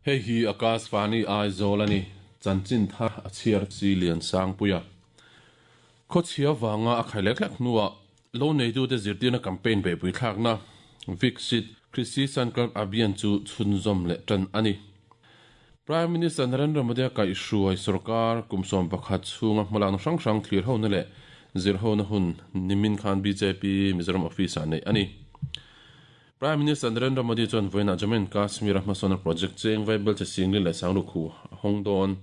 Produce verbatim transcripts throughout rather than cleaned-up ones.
Hei hi Akashvani Aizawl ani chanchin thar a chhiar chi lian sang puia Khochhia wanga a khailek hlek hnuah lo neitu te zirtirna campaign be pui thlakna Viksit Krishi Sankalp Abhiyan chu chhunzawm leh tan ani. Prime Minister Narendra Modi a kai hruai sarkar kumsawm pakhat chhunga hmalakna hrang hrang thlir ho na leh zir ho na hun nimin khan B J P Mizoram office ah nei ani. Prime Minister Narendra Modi chuan vawiinah Jammu and Kashmir a hmasawnna project cheng vaibel che singli leh sanglu khu a hawng dawn.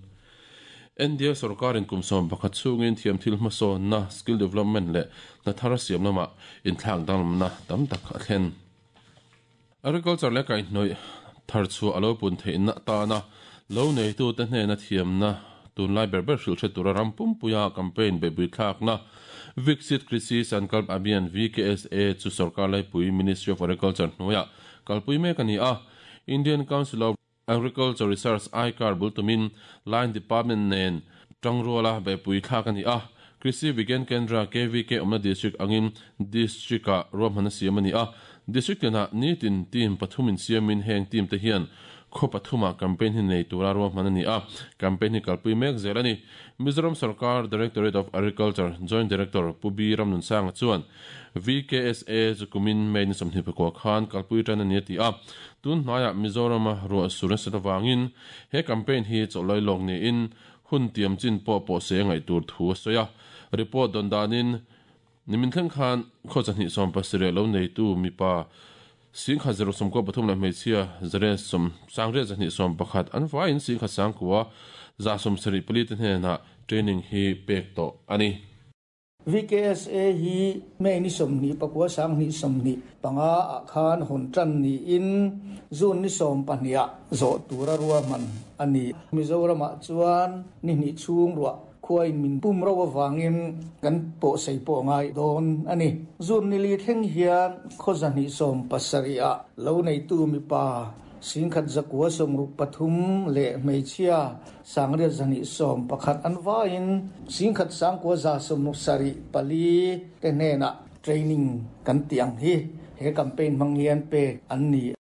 India sarkarin kumsawm pakhat chhungin thiam thil hmasawnna skill development leh hna thar siam lamah inthlak danglamna tam tak a thlen. Agriculture leh kaihhnawih thar chu a lo pun theihna tana lo neitu te hnena thiamna tunlai ber ber hrilh hre tura ram pumpuia campaign beipui thlakna Viksit Krishi Sankalp Abhiyan V K S A chu sarkar laipui Ministry of Agriculture hnuaiah kalpui mek ani a. Indian Council of Agriculture Research I C A R bultumin Line Department nen tangruala beipui thlak ani a. Krishi Vigyan Kendra K V K awmna district angin district ah ruahmanna siam ani a. District tinah nitin team pathumin siamin heng team te hian khaw pathuma campaign hi nei tura ruahman ani a. Campaign hi kalpui mek zel ani. Mizoram Sarkar Directorate of Agriculture Joint Director Pu B Ramnunsanga chuan V K S A chu kumin May ni sawmhnih pakua khan kalpui tan ani a ti a. Tun hnaiah Mizorama ruah sur nasa awangin he campaign hi chawlai lawk niin hun tiam chin pawh pawh se ngaih tur thu a sawi a. Report don danin nimin thleng khan khaw chahnih sawm pasarih lo neitu mipa singkhat zero sawm kaw pathum leh hmeichhia zare sawm sangriat zahnih sawm pakhat an vaiin singkhat sangkua za sawm sarih pali te hnenah training hi pek tawh ani. V K S A hi May ni sawmhnih pakua sanghnih sawmhnih panga ah khan hawn tan niin June ni sawm pahnih ah zawh tura ruahman ani. Mizoramah chuan ni hnih chhung ruah khuain min pum ro awangin kan pawh sei pawh ngai dawn ani. June ni li thleng hian khaw zahnih sawm pasarih ah lo neitu mipa singkhat zakua sawmruk pathum leh hmeichhia sangriat zahnih sawm pakhat an vaiin singkhat sangkua za sawmruk sarih pali te hnenah training kan ti ang hi he campaign hmang hian pek an ni.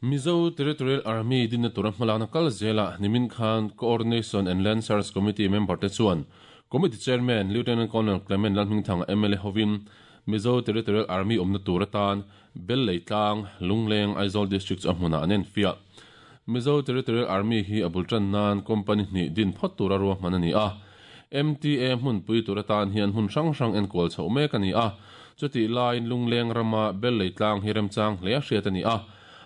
Mizo Territorial Army dinna tura hmalakna kal zela nimin khan Coordination and Land Search Committee member te chuan Committee Chairman Lieutenant Colonel Clement Lalhmingthanga M L A hovin Mizo Territorial Army awmna tur atan Bel Leitlang Lungleng Aizawl District chu a hmunah an en fiah. Mizo Territorial Army hi a bul tan nan company hnih din phawt tura ruahman ani a. M T A hmun pui tur atan hian hmun hrang hrang enkual chho mek ani a. Chuti laiin Lungleng rama Bel Leitlang hi remchang hle a hriat ani a.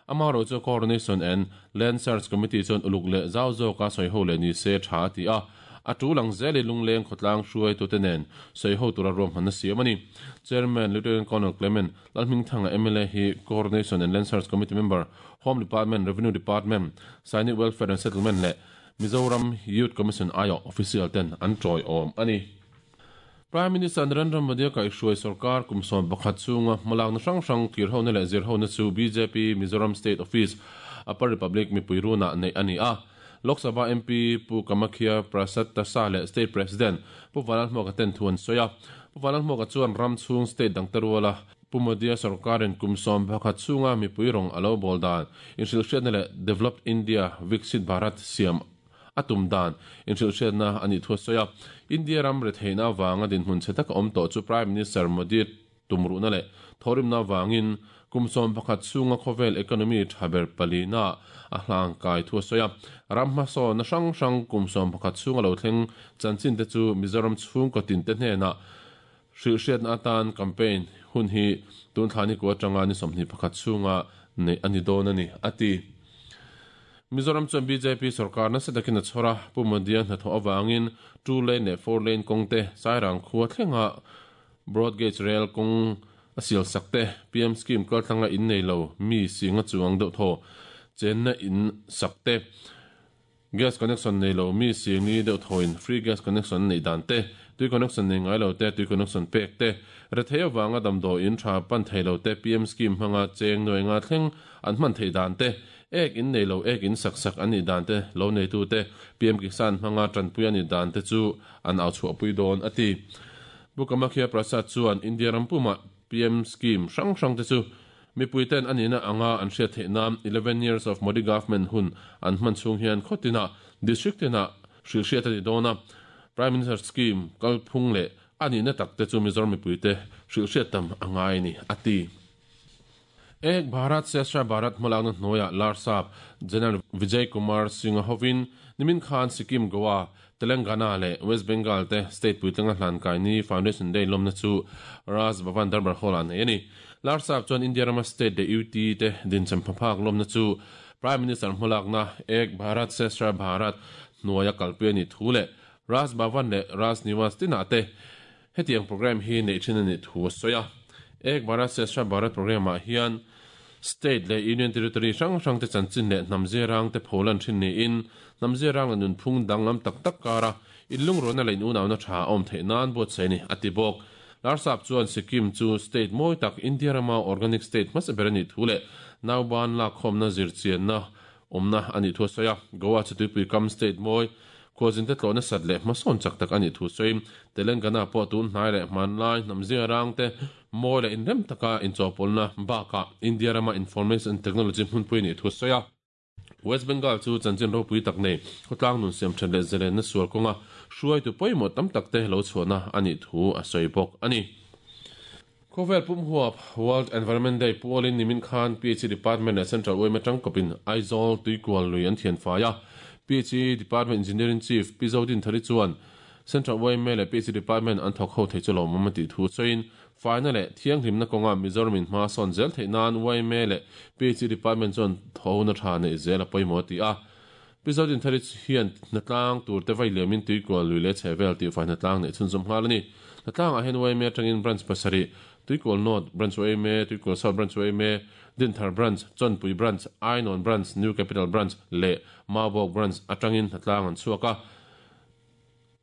Amaro chu Coordination and Land Search Committee chuan uluk leh zau zawka sawi ho leh ni se tha ti a. A tu lang zeli Lungleng khawtlang hruai tu te nen sawi ho tura ruahmanna siam ani. Chairman Lieutenant Colonel Clement Lalhmingthanga M L A hi Coordination and Land Search Committee member Home Department, Revenue Department, Sainik Welfare and Settlement leh Mizoram Youth Commission ayo official ten an tawi awm ani. Prime Minister Narendra Modi a kai hruai sarkar kumsawm pakhat chhunga hmalakna hrang hrang thlir ho na leh zir ho na chu B J P Mizoram State Office Upper Republic mipui runah nei ani a. Lok Sabha M P Pu Kamakhya Prasad Tasa leh State President Pu Vanlalhmuaka ten thu an sawi a. Pu Vanlalhmuaka chuan ram chhung state dang te ruala Pu Modi a sarkarin kumsawm pakhat chhunga mipui rawng a lo bawl dan inhrilh hriatna leh Developed India Viksit Bharat siam atum dan inhrilh hriatna ani thu a sawi a. India ram re theihna awanga dinhmun che taka awm tawh chu Prime Minister Modi tumruhna leh thawrimna awangin kumsawm pakhat chhunga khawvel economy thaber palina a hlang kai thu a sawi a. Ram hmasawnna hrang hrang kumsawm pakhat chhunga lo thleng chanchin te chu Mizoram chhung kawtin te hnenah hrilh hriatna atan campaign hun hi tun thlani ku atanga ni sawmhnih pakhat chhunga nei ani dawn ani ati. Mizoram chuan B J P sarkar nasa takin a chhawr a. Pu Modi a hnathawh awangin two lane leh four lane kawng te Sairang khua thlenga broad gauge rail kawng a sial sak te P M scheme kal thlanga in nei lo mi singa chuang deuh thaw chenna in sak te gas connection nei lo mi singli deuh thawin free gas connection nei dan te tui connection nei ngai lo te tui connection pek te rethei awanga damdaw in tha pan thei lo te P M scheme hmanga cheng nuai nga thleng an hman thei dan te ek in nei lo ek in sak sak ani dan te lo nei tu te P M Kisan hmanga tanpui ani dan te chu an au chhuah pui dawn ati. Pu Kamakhya Prasad chuan India rampuma P M scheme hrang hrang te chu Mipuiten anina anga an hriat theih nan eleven years of Modi government hun an hman chhung hian khawtina district tina hril hriat ani dawna Prime Minister scheme kalphung leh anina takte chu Mizoram mipuite hril hriat tam angai ni ati. Ek Bharat Shreshtha Bharat hmalakna hnuaiah Larsap General Vijay Kumar Singh hovin nimin khan Sikkim Goa Telangana le West Bengal te state puitlinga hlan kai ni Foundation Day lawmna chu Raj Bhavan Darbar Hall ah nei ani. Larsap chuan India rama state de U T te dincham phaphak lawmna chu Prime Minister hmalakna Ek Bharat Shreshtha Bharat hnuaia kalpui ani thu le Raj Bhavan le Raj Niwas tina te hetiang program hi nei thin ani thu a sawi a. Ek Bharat Shreshtha Bharat program ah hian state le union territory hrang hrang te chanchin le hnamze rang te pholan thin ni in hnamze rang le nunphung danglam tak tak kara inlung rona le in unawna tha awm theih nan buat sei ni ati bawk. Larsap chuan Sikkim chu state mawi tak India rama organic state hmasa ber ani thu le nauban lak khawmna zirchianna awmna ani thu a sawi a. Goa chu tuipui kam state mawi khuazin te tlawhna sat leh hmasawn chak tak ani thu sawi. Telangana pawh tun hnai leh hmanlai hnamze rang te mawi leh inrem taka inchawpawlna bakah India rama information technology hmunpui ni thu sawi a. West Bengal chu chanchin ropui tak nei khawtlang nun siam then leh zelenna sual kawnga hruai tu pawimawh tam tak te lo chhuahna ani thu a sawi bawk ani. Khawvel pum huap World Environment Day pualin nimin khan P H E Department leh Central U M atang kawpin Aizawl tuikual lui an thian fai a. P H E Department Engineering Chief Pi Zodin Thari chuan Central U M leh P H E Department an thawk ho thei chu lawmawm a tih thu sawiin faina leh thianghlimna kawnga Mizoram in hma sawn zel theih nan U M leh P H E Department chuan thawhna tha nei zel a pawimawh ti a. Pi Zodin Thari hian hnatlang tur te vai liamin tuikual lui leh chhevel tih fai hnatlang nei chhunzawm nghal ani. Hnatlang ah hian U M atangin branch pasarih Tuikual North Branch U M, Tuikual South Branch U M, Dinthar Branch, Chawnpui Branch, Ainawn Branch, New Capital Branch leh Maubawk Branch atangin hnatlang an chhuak a.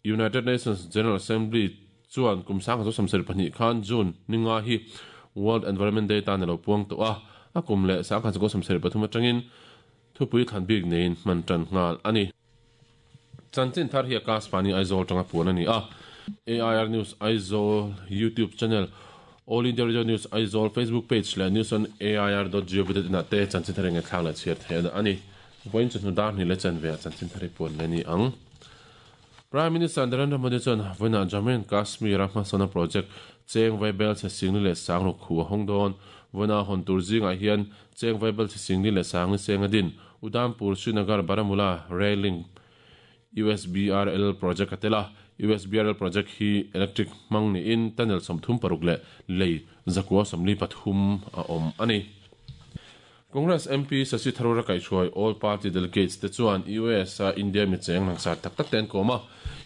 United Nations General Assembly chuan kum sang khat samsarih pahnih khan June ninga hi World Environment Day tan alo puang tawh a. A kum leh sang khat samsarih pathum atangin thupui thlan bik neiin hman tan nghal ani. Chanchin thar hi Akashvani Aizawl tanga puan ani a. A I R News Aizawl YouTube channel, All India Radio News Aizawl Facebook page le news on A I R dot gov dot in te chanchin thar nge thlang la chhiar theih ani. Voin chu hnu dar ni le chan ve chanchin thar puan le ni ang. Prime Minister Narendra Modi chuan voina Jammu and Kashmir a hmasawna project cheng vaibel che singni leh sangruk khu a hawng dawn. Voina hawn tur zingah hian cheng vaibel che singni leh sangni cheng a din Udhampur Srinagar Baramulla Railing U S B R L project atela. U S B R L project hi electric hmang ni in tunnel sawmthum paruk leh lei zakua sawmli pathum a awm ani. Congress M P Shashi Tharoor a kaihhruai all party delegates te chuan U S a India mi cheng langsar tak tak ten kawm a.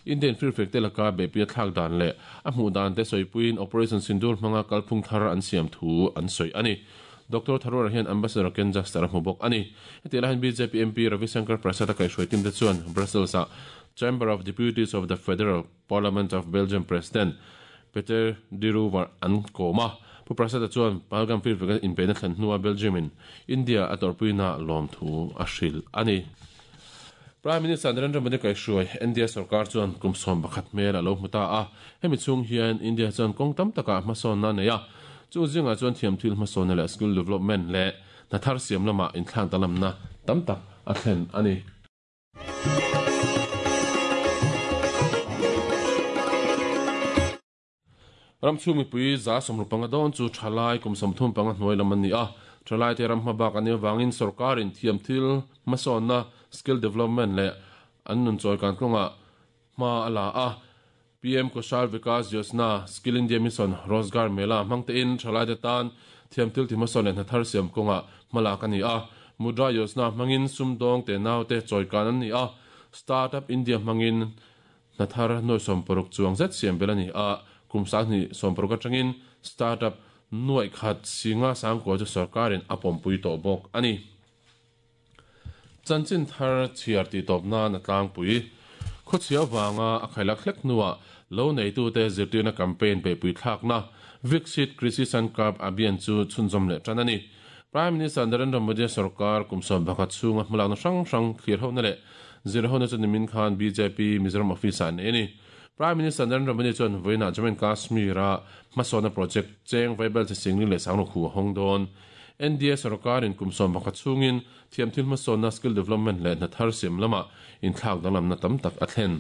Indian Free Flag te laka beipui a thlak dan leh a hmuh dan te sawipuiin Operation Sindoor hmanga kalphung thar an siam thu an sawi ani. Doctor Tharoor hian Ambassador Ken Juster a hmu bawk ani. Heti lahin B J P M P Ravi Shankar Prasad a kaihhruai tim te chuan Brussels a Chamber of Deputies of the Federal Parliament of Belgium President Peter De Roover an kawm a. Pu Prasad a chuan Pahalgam Free Flag inpeina thlan hnua Belgium in India a tawrpuina lawm thu a hril ani. Prime Minister Narendra Modi kaihhruai India sarkar chuan kum sawm pakhat hmel a lo hmu ta a. Hemi chhung hian India chuan kawng tam takah hmasawnna nei a. Chu zinga chuan thiam thil hmasawnna leh skill development leh hnathar siam lamah inthlang talamna tam tak a thlen ani. Ramchhu mipui za sawmru panga dawn chu thalai kum sawmthum panga hnuai lam ani a. Thalai te ram hmabak ani wangin sarkarin thiam thil hmasawnna skill development leh an nun chawi kan kawnga hma a la a. P M Kaushal Vikas Yojana Skill India Mission Rozgar Mela hmangte in thalai te tan thiam thil ti hmasawn leh hnathar siam kawnga hmalak ani a. Mudra Yojana hmangin sumdawng te nau te chawi kan ani a. Startup India hmangin hnathar nuai sawm paruk chuang zet siam bel ani a. Kum sang ni sawm paruk atangin startup nuai khat singa sangkua chu sarkarin a pawmpui tawh bawk ani. Chanchin thar chhiar tih tawp nan a tlangpui khawchhia wanga a khailak hlek hnuah lo neitu te zirtirna campaign peipui thlakna Viksit Krishi Sankalp Abhiyan chu chhunzawm leh tan ani. Prime Minister Narendra Modi sarkar kum sawm pakhat chhunga hmalakna hrang hrang thlir hona leh zir hona chu nimin khan B J P Mizoram office ah nei ani. Prime Minister Narendra Modi chuan voina Jammu and Kashmir a hmasawna project cheng vaibel che singni leh sangruk khu a hawng dawn. N D A sarkarin kum sawm pakhat chungin thiam thil hmasawnna skill development leh hna thar siam lama inthlak danglamna tam tak a thlen.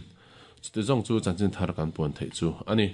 Chute zawng chu chanchin thar kan puan theih chu a ni.